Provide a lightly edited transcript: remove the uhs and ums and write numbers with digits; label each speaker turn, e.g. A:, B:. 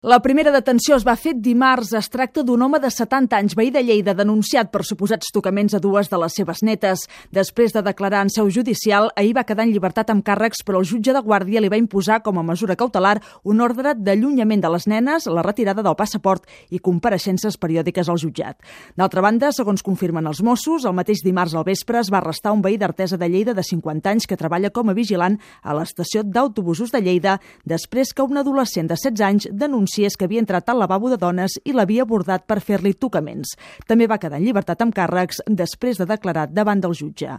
A: La primera detenció es va fer dimarts. Es tracta d'un home de 70 anys, veí de Lleida, denunciat per suposats tocaments a dues de les seves netes. Després de declarar en seu judicial, ahir va quedar en llibertat amb càrrecs, però el jutge de guàrdia li va imposar com a mesura cautelar un ordre d'allunyament de les nenes, la retirada del passaport i compareixences periòdiques al jutjat. D'altra banda, segons confirmen els Mossos, el mateix dimarts al vespre es va arrestar un veí d'Artesa de Lleida de 50 anys que treballa com a vigilant a l'estació d'autobusos de Lleida després que un adolescent de 16 anys denunciés que havia entrat al lavabo de dones i l'havia abordat per fer-li tocaments. També va quedar en llibertat amb càrrecs després de declarar davant del jutge.